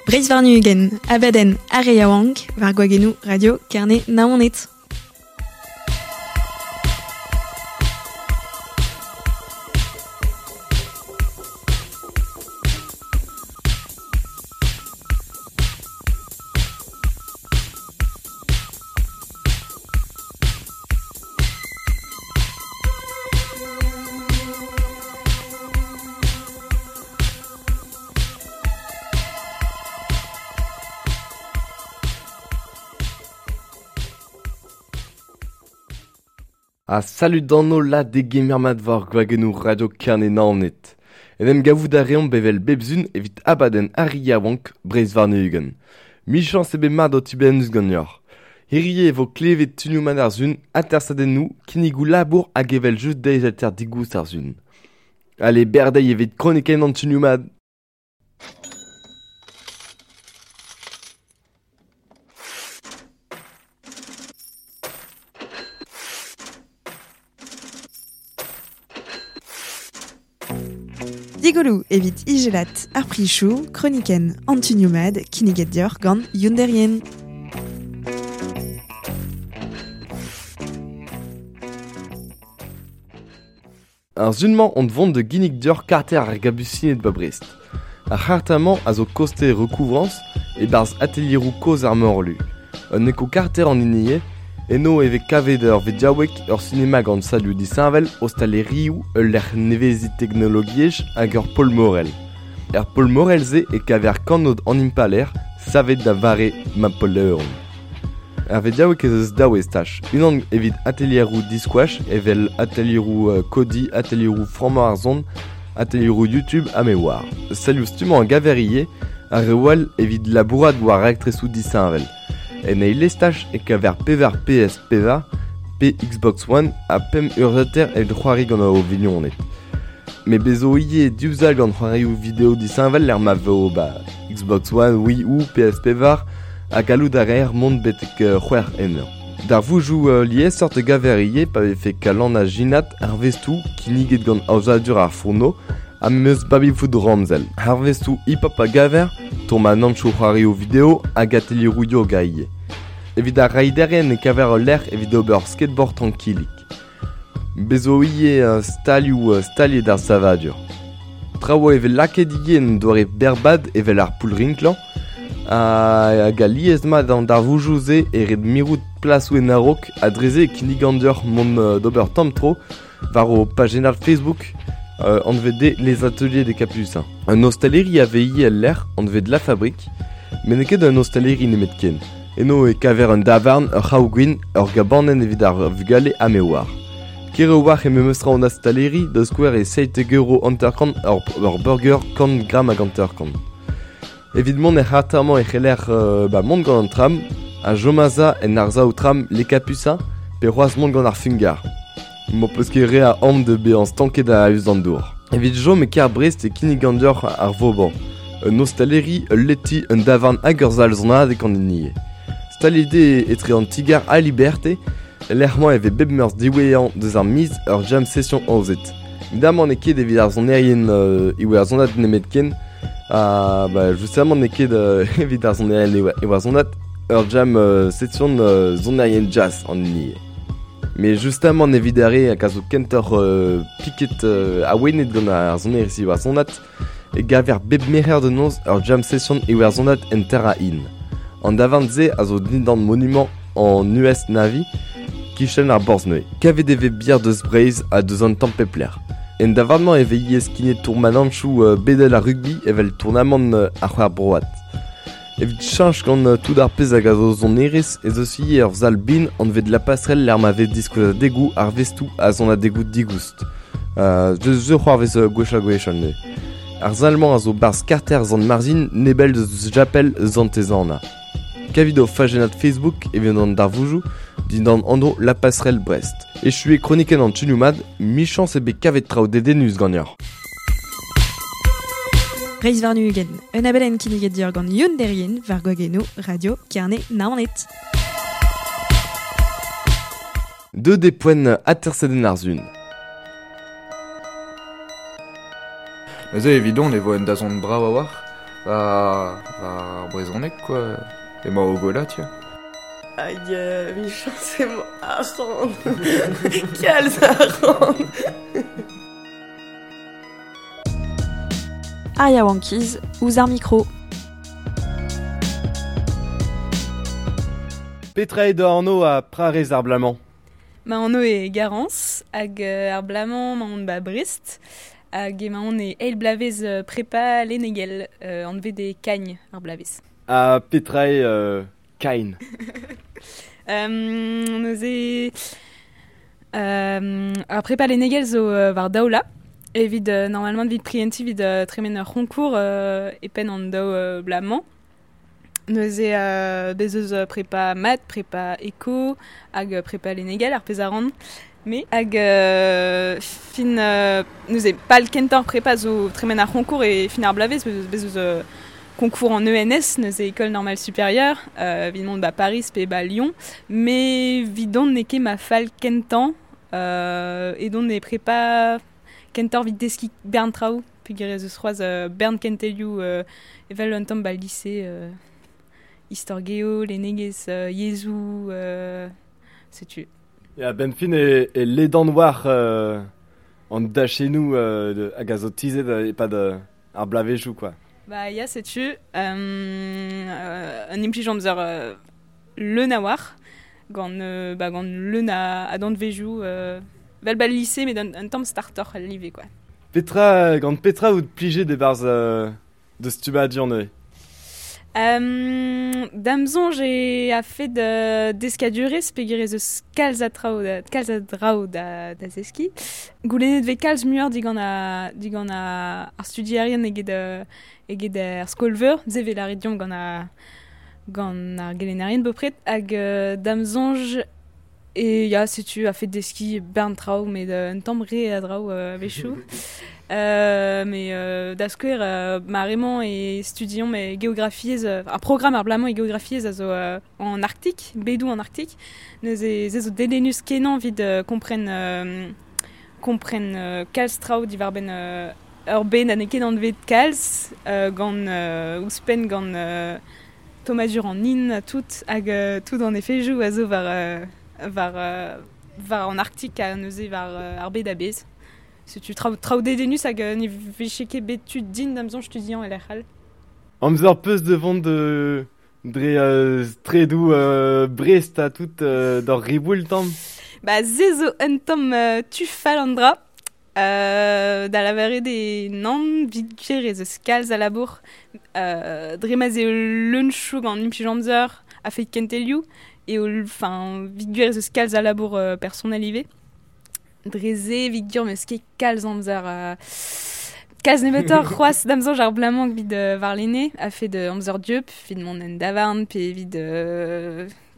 Breizh warn-ugent, abadenn ar re yaouank, war gwagennoù Radio Kerne Naoned. Ha salud d'an holl ha degemer mat war gwagennoù Radio Kerne Naoned. En em gavout a reomp evel bep sun evit abadenn ar re yaouank Breizh warn-ugent. Michañs eo bet mat ho tibennus ganeoc'h. Hirie e vo klevet tunioù mat ar sun, atersadennoù, kinnigoù labour hag evel-just deiz-alter digoust ar sun. Ale, berdeiz evit kronikenn an tunioù mat. Digoloù evit ijelat ar prichoù, kronikenn an tunioù mat kinniget deoc'h gant Youn Derrien. Ar sun-mañ on vont da ginnig deoc'h karter ar Gabusined 'ba Brest. Ar c'harter-mañ a zo koste Recouvrance e-barzh atelieroù kozh ar Morlu. Un eko-karter an hini eo, eno e vez kavet ur vediaoueg, ur sinema gant salioù disheñvel, ostalerioù, ul lec'h neveziñ teknologiezh hag ur pol morel. Er pol morel-se e kaver kanod an impalaer savet da vare Napoleon. Er vediaoueg ez eus daou estaj, unan evit atelieroù diskoach evel atelieroù kodiñ, atelieroù frammañ ar son, atelieroù YouTube ha me oar. Salioù stummañ a gaver ivez, ha reoù all evit labourat war raktresoù disheñvel. En eil estaj e kaver pevar PS pevar, pe Xbox One ha pemp urzhiataer evit c'hoari gant ho vignoned. Met bez zo ivez div sal gant c'hoarioù video disheñvel lec'h ma vo ba Xbox One, Wii U, PS pevar ha gallout a reer mont betek c'hwec'h ennañ. Darvoudoù liesseurt a gaver ivez pa vefe kalanna ginat, arvestoù kinniget gant aozadur ar fourneau ha memes baby-foot ramzel. Arvestoù hip-hop a gaver, tourmanantoù c'hoarioù video hag atelieroù yoga ivez. Evit ar raiderien e kaver ul lec'h evit ober skateboard trankilik. Bez zo ivez stalioù staliet ar savadur. Traoù e vez lakaet ivez en doare berrbad evel ar poull-rinklañ hag alies-mat an darvoudoù-se e ret mirout plasoù en a-raok ha dre-se e kinnigan deoc'h mont d'ober tamm tro war ho pajennad Facebook anvet eo Les Ateliers des Capucins. Un ostaleri a vez ivez el lec'h anvet La Fabrique met n'eo ket un ostaleri nemetken. Eno e kaver un davarn, ur c'haou-gwin, ur gabanenn evit ar vugale ha me oar. Ker a-walc'h eo memes tra an ostaleri, da skouer e 17 euro 50 ur burger kant gramm hag 50. Evit mont er c'harter-mañ e c'heller ba mont gant an tram, ha chom aze en arsav tram Les Capucins pe c'hoazh mont gant ar fungarr. M'ho peus ket re a aon da bezañ stanket a-us d'an dour. Evit chom e kêr Brest e kinnigan deoc'h ar Vauban. Un ostaleri, ul leti, un davarn hag ur sal sonadeg an hini eo. Staliet eo etre an ti-gar ha Liberté, lec'h-mañ e vez bep meurzh diwezhañ deus ar miz ur jam session aozet. Evidamant n'eo ket evit ar sonerien iwerzhonat nemetken, ha ba justamant n'eo ket evit ar sonerien iwerzhonat ur jam session sonerien jazz an hini eo. Met justamant evit ar re hag a zo kentoc'h piket awenet gant ar sonerezh iwerzhonat e gaver bep merc'her da noz ur jam session iwerzhonat en Terra Inn. An davarn-se a zo dindan monumant an US Navy kichen ar Borzh-Neuiñ. Kavet e vez bier deus Breizh ha deus an tamm pep lec'h. En davarn-mañ e vez ivez skignet tourmanantoù bedel ar rugby evel tournamant ar c'hwec'h broad. Evit cheñch gant tout ar pezh hag a zo sonerezh ez eus ivez ur sal bin anvet La Passerelle lec'h ma vez diskouezadegoù, arvestoù ha sonadegoù digoust. Deus se c'hoarvez gwech-ha-gwech anezhe. Ar sal-mañ a zo 'barzh karter Sant-Marzhin nebell deus chapel Santez-Anna. Kavit o fajennad Facebook evit an darvoudoù dindan anv La Passerelle Brest. Echu eo kronikenn an tunioù mat, michañs eo bet kavet traoù dedennus ganeoc'h. Breizh warn-ugent, un abadenn kinniget deoc'h gant Youn Derrien war gwagennoù Radio Kerne Naoned. Deuet eo poent atersadenn ar sun. Neuze evidon e vo un dazont brav a-walc'h. War ar brezhoneg quoi. Emañ o gola, tiens. Hag michañs emañ arc'hant. Kalz arc'hant. Ar yaouankiz ouzh ar mikro. Petra eo da anv ha prarez ar blamañ? Ma anv eo Garance hag ar blamañ emaon ba Brest hag emaon e eil bloavezh prepa lennegel anvet eo Cagnes ar bloavezh. Ha petra eo Kain? Neuze ar prepa lennegel zo war daou la evit normalement evit prientiñ evit tremen ur c'honkour e penn an daou bloaz-mañ. Neuze bez eus prepa mat, prepa eko hag prepa lennegel ar pezh a ran. Me hag fin neuze pal kentañ prepa zo tremen ar c'honkour e fin ar bloavezh bez eus concours en ENS, neuze École Normale Supérieure, evit mont ba Paris pe ba Lyon. Me 'vidon n'eo ket ma fal kentañ edon e prepa kentoc'h evit deskiñ bern traoù peogwir ez eus c'hoazh bern kentelioù evel un tamm ba lycée istor geo, lennegezh, yezhoù, setu. Ya, benn fin e, e ledan war an dachennoù hag a zo tizhet e-pad ar bloavezhioù quoi. Ba ya, setu un implij amzer leun a-walc'h gant ba gant leun a danvezioù vel ba lycée met un tamm startoc'h al live quoi. Petra gant petra out plijet e-barzh deus stummadur neuze? Da'm soñj eo a-fet deskadurezh peogwir ez eus kalz a traoù kalz a draoù da zeskiñ. Goulennet 'vez kalz muioc'h digant ar digant ar studierien eget eget er skol-veur, se 'vez lâret deomp gant ar gant ar gelennerien bepred hag da'm soñj e ya setu a-fet deskiñ bern traoù met un tamm re a draoù a-wechoù. Mais da skouer ma re-mañ e studiomp e geografiezh ar programm ar bloaz-mañ e geografiezh a zo en Arktik, bedoù an Arktik. Neuze se zo dedennus-kenañ evit kompren kompren kalz traoù diwar-benn ur bed ha n'eo ket anvet kalz gant ouzhpenn gant tommadur an hin ha tout hag tout an efedoù a zo war war war an Arktik ha neuze war ar bed a-bezh. Setu traoù traoù dedennus hag ne vije ket bet tu din da'm soñj studiañ e lec'h all. Amzer 'peus da vont de dre straedoù Brest ha tout d'ur riboul tamm? Ba se zo un tamm tu fall an dra. Da lavaret eo nann, 'vit gwir ez eus kalz a labour. Dre ma'z eo leun-chouk an implij amzer a-fet kentelioù eo enfin 'vit gwir ez eus kalz a labour personel ivez. Dre se evit gwir 'meus ket kalz amzer kalz nebeutoc'h c'hoazh da'm soñj ar bloaz-mañ evit warlene a-fet amzer dieub, evit mont en davarn pe evit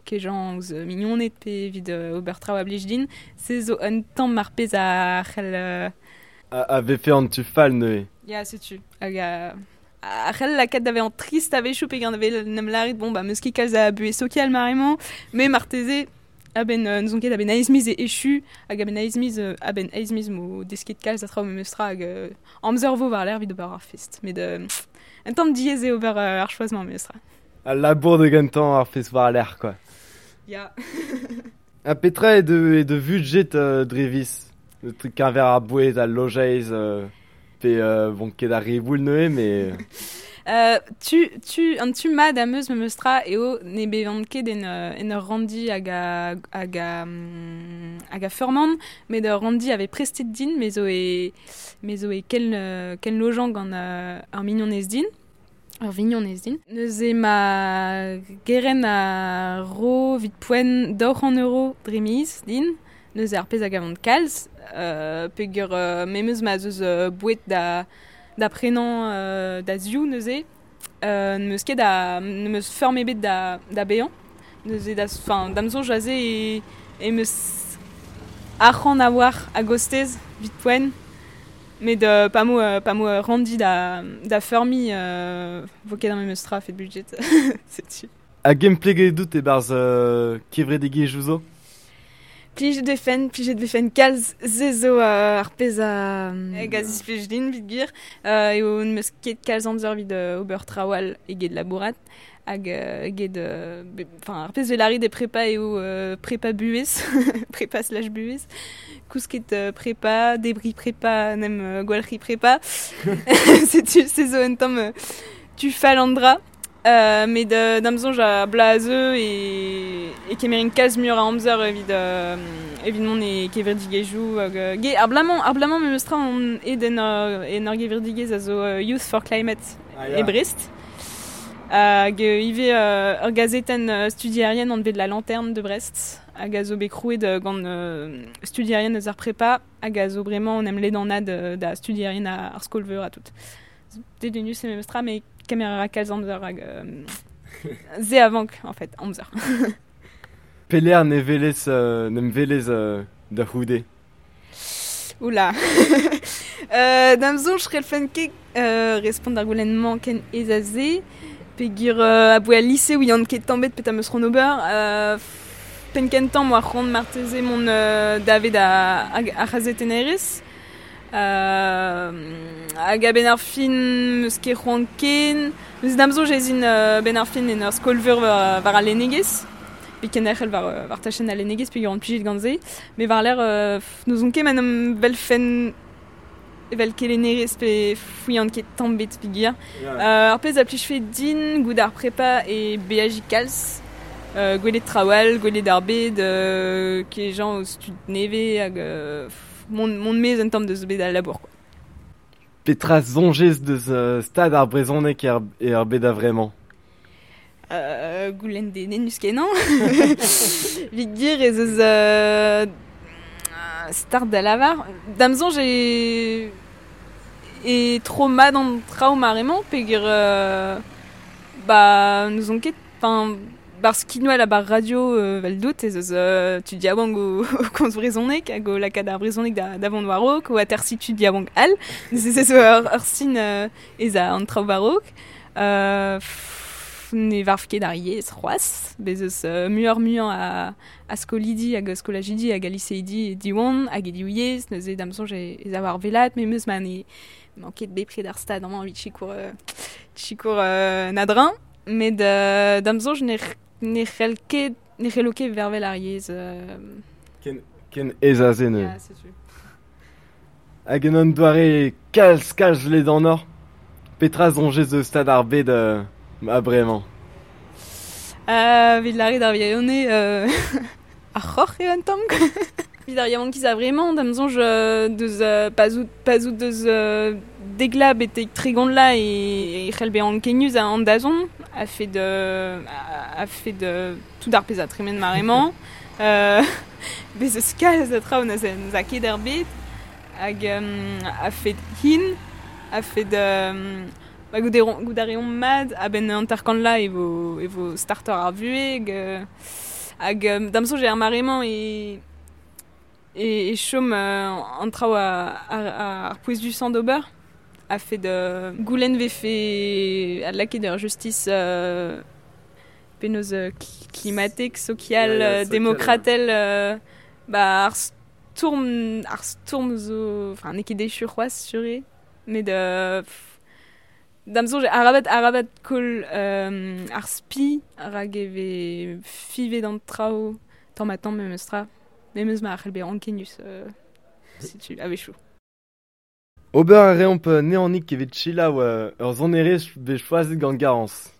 kejañ ouzh mignoned pe evit ober traoù a blij din. Se zo un tamm ar pezh a c'hell A vefe an tu fall neuze? Ya, setu. Hag a c'hell lakaat da vezañ trist a-wechoù peogwir ne vez 'n em lâret bon bah 'meus ket kalz a buhez sokial maremañ, met marteze a-benn n'ouzon ket a-benn eizh miz e echu hag a-benn eizh miz a-benn eizh miz 'mo desket kalz a traoù memestra hag amzer 'vo war-lerc'h evit ober ar fest. Met un tamm diaes eo ober ar choaz-mañ memestra. Al labour da gentañ, ar fest war-lerc'h quoi. Ya. Ha petra eo de, eo de vudjet dre viz? Le truc keñver ar boued, al lojeiz pe bon ket ar riboul neuze, mais... Tu, tu, an tu mat am eus memestra eo ne bevan ket en, en ur ranndi hag a, hag a, hag a feurman, met ur ranndi a vez prestet din, me zo e, me zo e ken, ken lojañ gant ur mignonez din. Ur vignonez din. Neuze ma gerent a ro evit poent 200 euro dre miz din, neuze ar pezh a gavan kalz, peogwir memes ma'z eus boued da da prenañ da ziv neuze, n'em eus ket a n'em eus feurm ebet da da baeañ. Neuze da enfin da'm soñj aze e em eus arc'hant a-walc'h a-gostez evit poent. Met pa 'mo pa 'mo ur ranndi da da feurmiñ 'vo ket ar memes tra a-fet budget setu. Hag empleget out e-barzh kevredigezhioù zo? Plijet vefen kalz se zo ar pezh a hag a zisplij din evit gwir. Eo n'eus ket kalz amzer evit ober traoù all eget labourat hag eget enfin ar pezh 'vel de prepa eo prepa buhez prepa slash buhez kousket prepa debri prepa nem gwalc'hi prepa setu se zo un tamm tu fall an dra. Met da'm soñj a blaze e kemerin kalz muioc'h a amzer evit evit mont e kevredigezhioù hag ge ar blamañ memes tra on aet en ur gevredigezh a zo Youth for Climate e Brest. Hag ivez ur gazetenn studierien anvet La Lanterne de Brest hag a zo bet krouet gant studierien eus ar prepa hag a zo bremañ en em ledanad da studierien ar skol-veur ha tout. Dedennus e memes tra met kemer a ra kalz amzer hag se a vank en fait amzer. Pelec'h ne welez n'em welez da c'houde? Oula. Da'm soñj c'hellfen ket respont d'ar goulenn-mañ ken aes a se peogwir aboe al lise ouian ket tamm ebet petra 'm eus c'hoant ober. Penn kentañ 'm boa c'hoant marteze mont davet ar c'hazetennerezh. Hag a-benn ar fin 'm eus ket c'hoant ken. Neuze da'm soñj ez in benn ar fin en ur skol-veur war al lennegezh. Pe kenderc'hel war tachenn al lennegezh peogwir on plijet gant se. Met war-lerc'h n'ouzon ket ma n'am welfen evel kelennerez pe fouilhan ket tamm ebet peogwir. Ar pezh a plijfe din goude ar prepa e beajiñ kalz. Gwelet traoù all, gwelet ar bed, kejañ ouzh tud nevez hag mont maez un tamm deus bed al labour quoi. Petra soñjez deus stad ar brezhoneg er bed a-vremañ? Goulenn dedennus kenañ. Evit gwir ez eus start da lavar. Da'm soñj e tro mat an traoù mare-mañ peogwir ba n'ouzon ket enfin bar skinwel ha bar radio 'vel dout ez eus tud yaouank o komz brezhoneg hag o lakaat ar brezhoneg da vont war-raok o atersiñ tud yaouank all. Neuze se zo ur sin ez a an traoù war-raok. Ne varv ket ar yezh c'hoazh. Bez eus muioc'h-muiañ a skolidi hag a skolajidi hag a liseidi e Diwan hag e div yezh. Neuze da'm soñj ez a war wellaat memes ma ne emañ ket bepred ar stad amañ evit sikour na-dreñv. Met da'm soñj ne c'hell ket ne c'hello ket vervel ar yezh. Ken aes a se neuze. Ya, setu. Hag en un doare kalz ledanoc'h, petra soñjez eus stad ar bed a-bremañ? Evit lâret ar wirionez ar c'horr eo un tamm. Evit ar yaouankiz a-vremañ, da'm soñj deus pa zout deus dek vloaz betek 30 vloaz e c'hell bezañ ankenius an dazont a-fed tout ar pezh a tremen mare-mañ. Bez eus kalz a traoù na 'z a ket er bed hag a-fed hin, a-fed ba goût a reomp mat a-benn 50 vloaz e vo startoc'h ar vuhez hag da'm soñj er mare-mañ e chom an traoù ar pouezusañ d'ober a-fed goulenn vefe adlakaet ur justice penaos klimatek, sokial, demokratel ba ar stourm zo enfin n'eo ket echu c'hoazh sur eo met da'm soñj arabat koll ar spi rak e vez fivet an traoù tamm-ha-tamm memes tra memes ma c'hell bezañ ankenius setu a-wechoù. Ober a reomp neanik evit selaou ur sonerezh bet choazet gant Garance.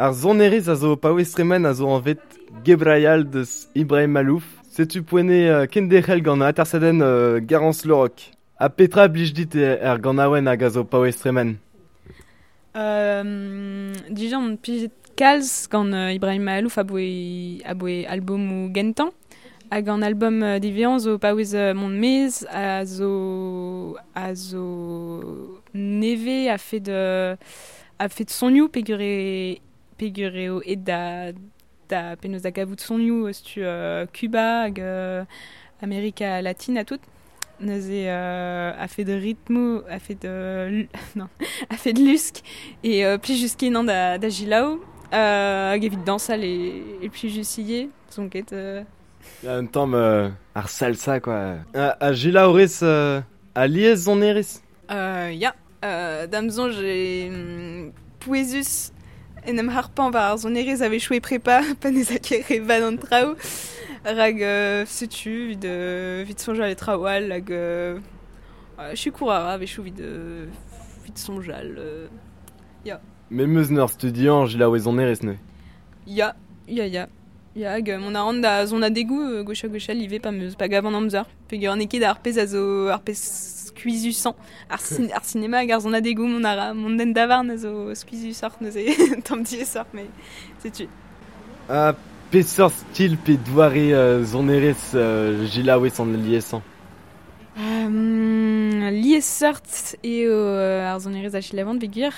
Ar sonerezh a zo paouez tremen a zo anvet Gebrayal deus Ibrahim Malouf. Setu poene kenderc'hel gant atersadenn Garance Le Roch. Ha petra blij dit er ganaouenn hag a zo paouez tremen? Dijan on plijet kalz gant Ibrahim Maalouf aboe albomoù gentañ. Hag an album divezhañ zo paouez mont maez a zo nevez a-fet sonioù peogwir eo aet da penaos da gavout sonioù eus tu Cuba hag Amerika Latin ha tout. Neuze a-fet ritmoù, a-fet non, a-fet lusk e plijus kenañ da selaou hag evit dañsal e plijus ivez, son ket. Un tamm ar salsa quoi. A selaou rez alies sonerezh? Ya, da'm soñj eo pouezus en em harpañ war ar sonerezh a-wechoù e prepa pa n'ez a ket re vat an traoù. Rak setu evit soñjal e traoù all hag sikour a ra a-wechoù evit soñjal ya. Memes en ur studiañ selaou sonerezh neuze? Ya, ya, ya. Ya, hag mont a ran da sonadegoù gwech-ha-gwech all ivez pa gavan amzer. Peogwir n'eo ket ar pezh a zo ar pezh skuizhusañ. Ar sinema hag ar sonadegoù mont a ra mont d'an davarn a zo skuizhusoc'h neuze tamm diaesoc'h met setu. Ha peseurt stil pe doare sonerezh selaouez an liesañ? Liesseurt eo ar sonerezh a selaouan peogwir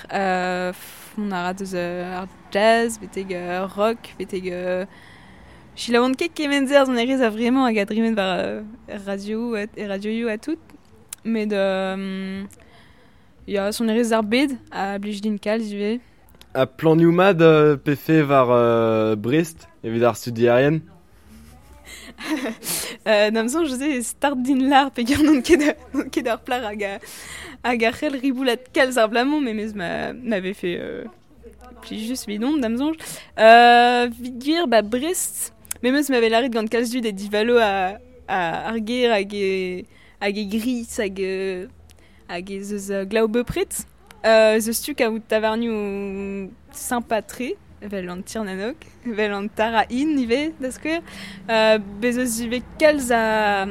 mont a ra deus ar jazz betek rock betek selaouan ket kement-se ar sonerezh a-vremañ hag a dremen war radio radioioù ha tout. Met ya, sonerezh ar bed a blij din kalz ivez. Ha planioù mat pefe war Brest evit ar studierien? Da'm soñj se start din lâr peogwir n'on ket ar plac'h hag a c'hell riboulat kalz ar bloaz-mañ memes ma vefe plijus evidon da'm soñj. Evit gwir ba Brest memes ma vez lâret gant kalz dud e divalo ar gêr hag e gris hag ez eus glav bepred. Ez eus tu kaout tavarnioù sympa-tre, evel an Tir-na-Nog, evel an Tara Inn ivez, da skouer. Bez eus ivez kalz a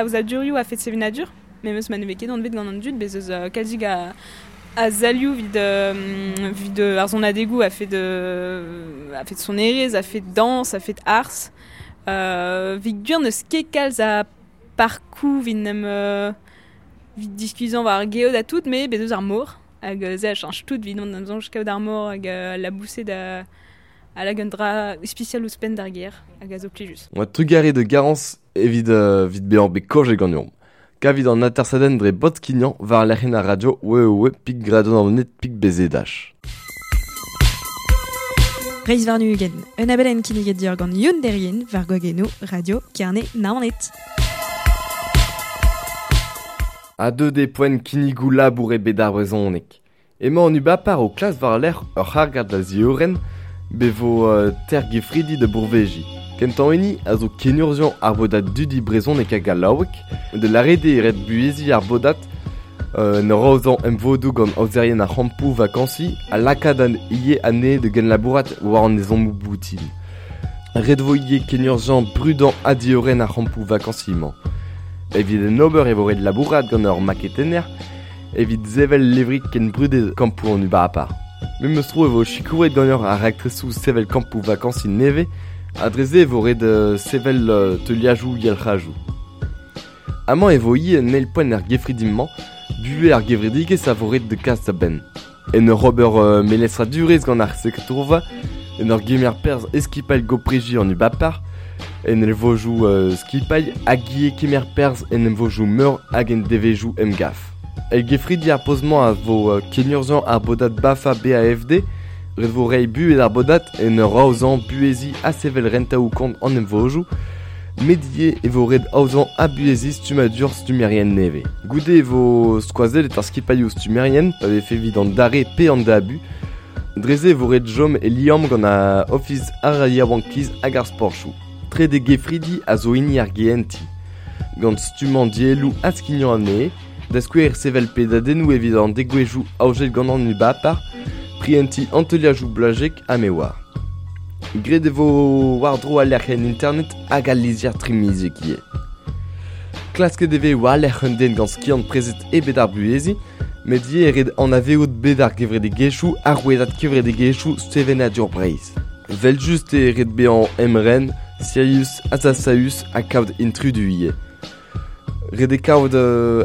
aozadurioù a-fet sevenadur, memes ma ne vez ket anvet gant an dud, bez eus kalzik a salioù evit ar sonadegoù a-fet sonerezh, a-fet dañs, a-fet arz. Evit gwir n'eus ket kalz a parkoù evit n'em evit diskuizhañ war ar geot ha tout, met bez eus ar mor. Hag se a cheñch tout evit da'm soñj kaout ar mor hag laboused a lak un dra ispisial ouzhpenn d'ar gêr hag a zo plijus. Oa trugarez de Garance evit bezañ bet kaojet ganeomp. Kavit an atersadenn dre bot-skignañ war lec'hienn ar radio www.radionaoned.bzh. Reizh warn-ugent, un abadenn kinniget deoc'h gant Youn Derrien war gwagennoù Radio Kerne Naoned. A deuet eo poent kinnigoù labour ebet ar brezhoneg. Emañ an ubapar o klas war-lerc'h ur c'hargad da ziorren bevo tergefridi da bourveziñ. Kentañ hini a zo kenurzhiañ ar bodad dudi brezhoneg hag gallaoueg, de lâret eo ret buheziñ ar bodad en ur aozañ emvodoù gant aozerien ar c'hampoù vakañsiñ ha lakaat an ivez anezhe da genlabourat war an ezhommoù boutin. Ret vo ivez kenurzhiañ brudañ ha diorren ar c'hampoù vakañsiñ-mañ. Evit en ober e vo ret labourat gant ur maketenner evit sevel levrig ken brudet kampoù an ubapar. Memes tro e vo sikouret ganeoc'h ar raktresoù sevel kampoù vakañsiñ nevez ha dre-se e vo ret sevel teuliajoù yalc'hajoù. Amañ e vo ivez un eil poent er gefridi-mañ, buhez ar gevredigezh a vo ret da kas da benn. En ur ober melestradurezh gant ar sekretourva, en ur gemer perzh skipailh gopreji an ubapar, en emvodoù skipailh hag ivez kemer perzh en emvodoù meur hag en devezhioù emgav. El gefridi ar poz-mañ a vo kenurzhiañ ar bodad BAFA BAFD, ret vo reiñ buhez ar bodad en ur aozañ buheziñ ha sevel rentaoù kont an emvodoù, met ivez e vo ret aozañ ha buheziñ stummadur stummerien nevez. Goude e vo skoazellet ar skipailhoù stummerien pa vefe evit an dare pe an dabu. Dre-se e vo ret chom e liamm gant ar Ofis ar yaouankiz hag ar sportoù. Trede gefridi a zo hini ar GNT. Gant stummañ dielloù ha skignañ anezhe, da skouer sevel pedadennoù evit an degouezhioù aozet gant an ubapar, Prientiñ an teuliadoù blazek ha me oar. Graet e vo war-dro al lec'hienn internet hag al lizher trimiziek ivez. Klasket e vez war-lerc'h un den gant skiant prezet ebet ar buheziñ, met ivez e ret anavezout bed ar gevredigezhioù ha rouedad kevredigezhioù sevenadur Breizh. Evel-just eo ret bezañ emren, sirius, azasaüs ha kaout intrudu ivez. Ret eo kaout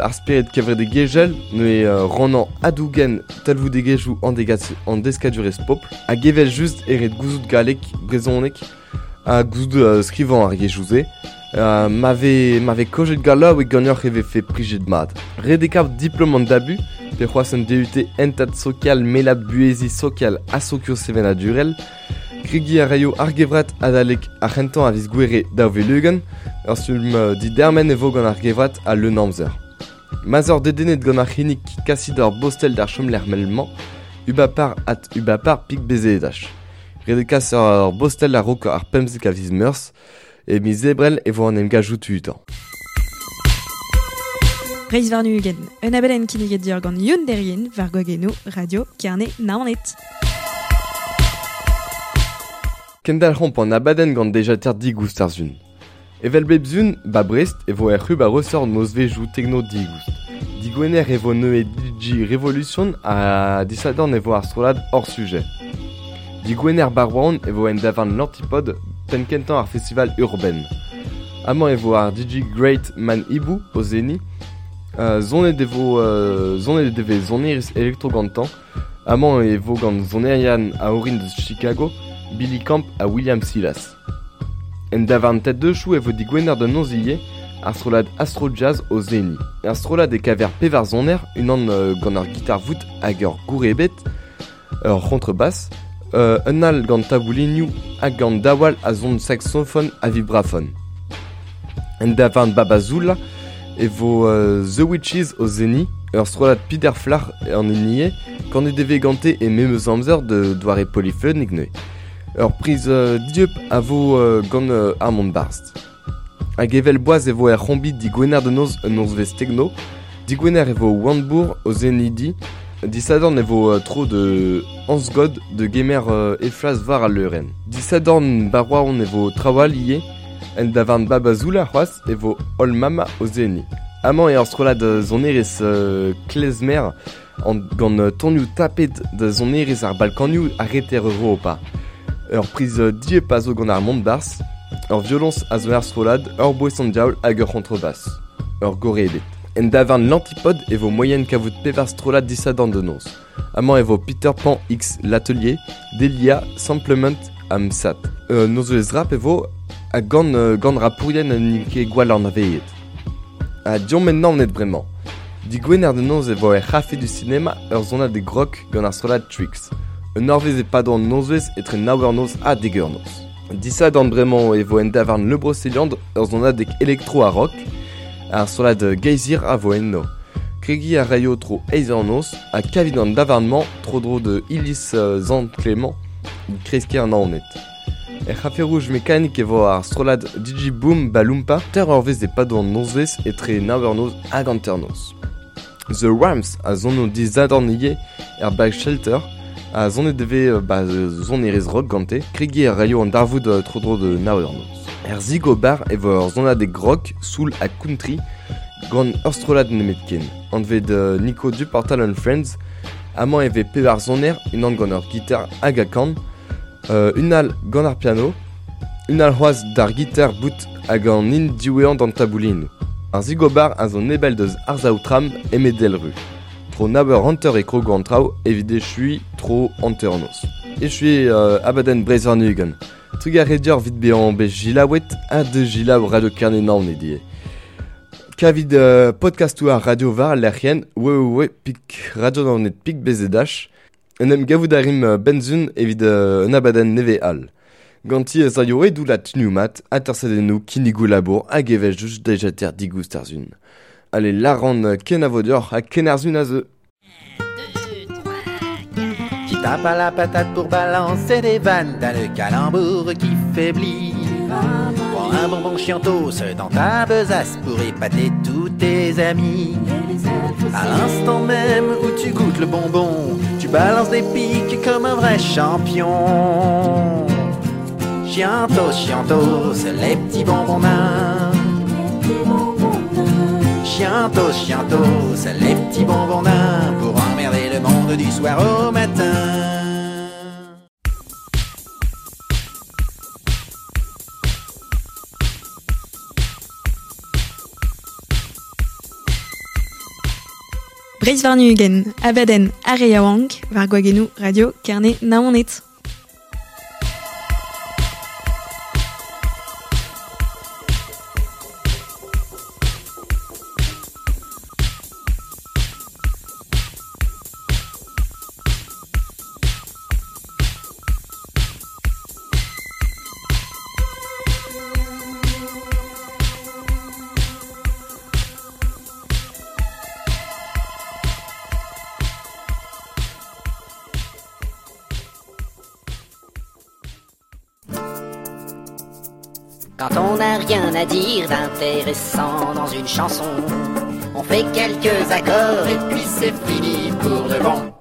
ar spered kevredigezhel, neuze rannañ ha dougen talvoudegezhioù an deskadurezh pobl, hag evel-just eo ret gouzout galleg, brezhoneg ha gouzout skrivañ ar yezhoù-se. Ma vez ma vez kaojet gallaoueg ganeoc'h e vefe plijet mat. Ret eo kaout diplom an dabu, pe c'hoazh un DUT hentad sokial mellad buheziñ sokial ha sokiosevenadurel. Kregiñ a raio ar gevrat adalek ar c'hentañ a viz Gouere 2020. Ur stumm didermen e vo gant ar gevrat al leun-amzer. Ma'z oc'h dedennet gant ar c'hinnig kasit ur bostel d'ar chomlec'h mell-mañ, ubapar at ubapar pik bezedaj. Ret eo kas ur bostel a-raok ar 15 a viz Meurzh. E miz Ebrel e vo an emgavioù tudañ. Breizh warn-ugent, un abadenn kinniget deoc'h gant Youn Derrien war gwagennoù Radio Kerne Naoned. Kendalc'homp an abadenn gant dejater digoust ar sun. Evel bep sun, ba Brest e vo er c'hub a resort nozvezhioù tekno digoust. Digwener e vo neuze DJ Revolution ha disadorn e vo ar strollad hors sujet. Digwener ba Rouen e vo en davarn L'Antipode penn-kentañ ar festival Urbaine. Amañ e vo ar DJ Great Man Hibou o seniñ. Sonet e vo sonet e vez sonerezh elektro gantañ. Amañ e vo gant sonerien a orin deus Chicago, Billy Camp ha William Silas. En davarn Tête de Chou e vo digwener da noz ivez ar strollad Astro Jazz o seniñ. Er strollad e kaver pevar soner, unan gant ur gitar-vout hag ur gourebed, ur c'hontrebass, un all gant taboulinoù hag gant daou all a son saksofon ha vibrafon. En davarn Babazoula e vo The Witches o seniñ, ur strollad Peter Flach an hini eo, kanet e vez gante e memes amzer de doare polifonek neuze. Ur priz dieub a vo gant ar mont barzh. Hag evel boaz e vo er c'hombi digwener da noz un nozvezh tekno. Digwener e vo Wandbourg o seniñ di. Disadorn e vo tro de Hans God de gemer e flas war al leurenn. Disadorn ba Roazhon e vo traoù all ivez. En davarn Babazoula c'hoazh e vo Holl Mama o seniñ. Amañ eo ar strollad sonerezh klezmer gant tonioù tapet da sonerezh ar Balkanioù ha reter Europa. Ur priz dieub a zo gant ar mont-barzh, ur violoñs a zo er strollad, ur boeson diaoul hag ur c'hontrebass. Ur gorre ebet. En davarn L'Antipode e vo moaien kavout pevar strollad disadorn da noz. Amañ e vo Peter Pan X L'Atelier, Delia, Samplement ha Msat. Nozvezh rap e vo ha gant gant rapourien n'int ket gwall anavezet. Ha deomp en Naoned bremañ. Digwener da noz e vo er c'hafe du sinema ur sonadeg rock gant ar strollad Tricks. Un eurvezh e-pad an nozvezh etre nav eur noz ha dek eur noz. Disadorn bremañ e vo en davarn Le Brocéliande ur sonadeg elektro ha rock. Ar strollad Geysir a vo enno. Kregiñ a raio tro eizh eur noz ha kavit an davarn-mañ tro-dro da iliz Sant-Clement kreiz-kêr Naoned. Er c'hafe rouge mekanik e vo ar strollad DJ Boom Balumpa teir eurvezh e-pad an nozvezh etre nav eur noz hag hanternoz. The Rams a sono disadorn ivez er Black Shelter ha sonet e vez ba sonerezh rock gante. Kregiñ a raio an darvoud tro-dro da nav eur noz. Er Zigo Bar e vo ur sonadeg rock, soul ha country gant ur strollad nemetken, anvet Nico Duportal and Friends. Amañ e vez pevar soner, unan gant ur gitar hag a kan, un all gant ar piano, un all c'hoazh d'ar gitar bout hag an hini diwezhañ d'an taboulinoù. Ar Zigobar a zo nebell deus arsav tram Emedelru. Tro nav eur hanter e krogo an traoù evit echuiñ tro hanternoz. Echuiñ abadenn Breizh warn-ugent. Trugarez deoc'h evit bezañ bet selaouet ha da selaou Radio Kerne Naoned ivez. Kavit podcastoù ar radio war al lec'hienn www.radionaoned.bzh. En em gavout a rimp benzun evit un abadenn nevez all. Ganti ez aio e doullad tunioù mat, atersadennoù, kinnigoù labour hag evel-just dejater digoust ar sun. Allez, lâran kenavo deoc'h ha ken ar sun a zeu. Qui tape à la patate pour balancer des vannes, t'as le calembour qui faiblit. Prends un bonbon chiantos dans ta besace pour épater tous tes amis. À l'instant même où tu goûtes le bonbon, tu balances des pics comme un vrai champion. Chiantos, chiantos, les petits bonbons nains. Chiantos, chiantos, les petits bonbons nains pour emmerder le monde du soir au matin. Breiz warn-ugent, abadenn ar re yaouank, war gwagennoù radio Kerne Naoned. Quand on n'a rien à dire d'intéressant dans une chanson, on fait quelques accords et puis c'est fini pour de bon.